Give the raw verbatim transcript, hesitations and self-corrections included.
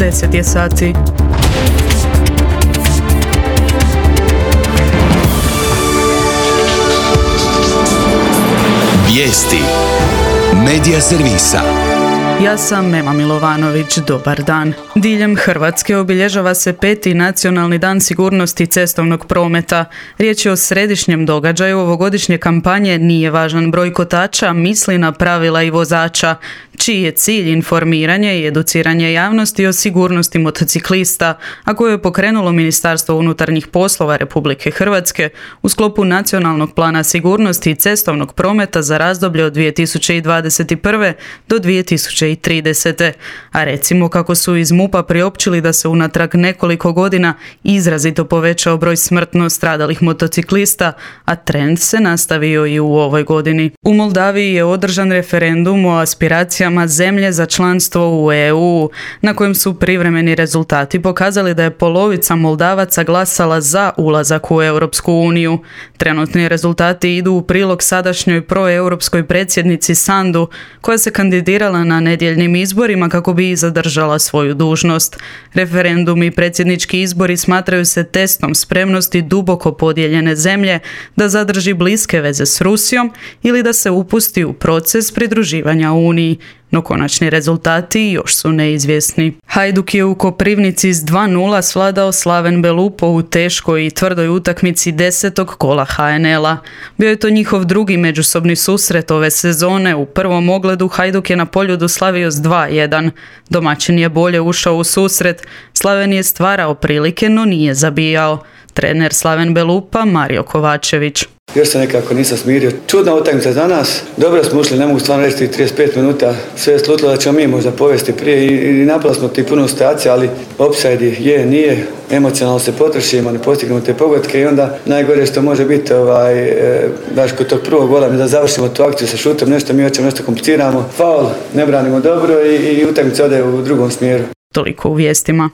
deset je sati. Vijesti Medija servisa. Ja sam Mema Milovanović, dobar dan. Diljem Hrvatske obilježava se peti nacionalni dan sigurnosti cestovnog prometa. Riječ je o središnjem događaju ovogodišnje kampanje Nije važan broj kotača, misli na pravila i vozača, čiji je cilj informiranje i educiranje javnosti o sigurnosti motociklista, a koje je pokrenulo Ministarstvo unutarnjih poslova Republike Hrvatske u sklopu Nacionalnog plana sigurnosti i cestovnog prometa za razdoblje od dvije tisuće dvadeset prve do dvije tisuće tridesete. A recimo kako su iz MUP-a priopćili da se unatrag nekoliko godina izrazito povećao broj smrtno stradalih motociklista, a trend se nastavio i u ovoj godini. U Moldaviji je održan referendum o aspiracijama zemlje za članstvo u E U, na kojem su privremeni rezultati pokazali da je polovica Moldavaca glasala za ulazak u Europsku uniju. Trenutni rezultati idu u prilog sadašnjoj proeuropskoj predsjednici Sandu, koja se kandidirala na nedjeljnim izborima kako bi i zadržala svoju dužnost. Referendum i predsjednički izbori smatraju se testom spremnosti duboko podijeljene zemlje da zadrži bliske veze s Rusijom ili da se upusti u proces pridruživanja Uniji. No konačni rezultati još su neizvjesni. Hajduk je u Koprivnici s dva nula svladao Slaven Belupo u teškoj i tvrdoj utakmici desetog kola H N L-a. Bio je to njihov drugi međusobni susret ove sezone. U prvom ogledu Hajduk je na Poljudu slavio s dva jedan. Domaćin je bolje ušao u susret. Slaven je stvarao prilike, no nije zabijao. Trener Slaven Belupa Mario Kovačević. Još se nekako nisam smirio. Čudna utakmica za nas. Dobro smo ušli, ne mogu stvarno reći trideset pet minuta. Sve je slutilo da ćemo mi možda povesti prije i, i napravili smo ti puno situacija, ali offside je, nije. Emocionalno se potrošimo, ne postignemo te pogodke i onda najgore što može biti ovaj, e, baš kod tog prvog gola da završimo tu akciju sa šutom, nešto mi hoćemo, nešto kompliciramo. Faul, ne branimo dobro i, i utakmica ode u drugom smjeru. Toliko u vijestima.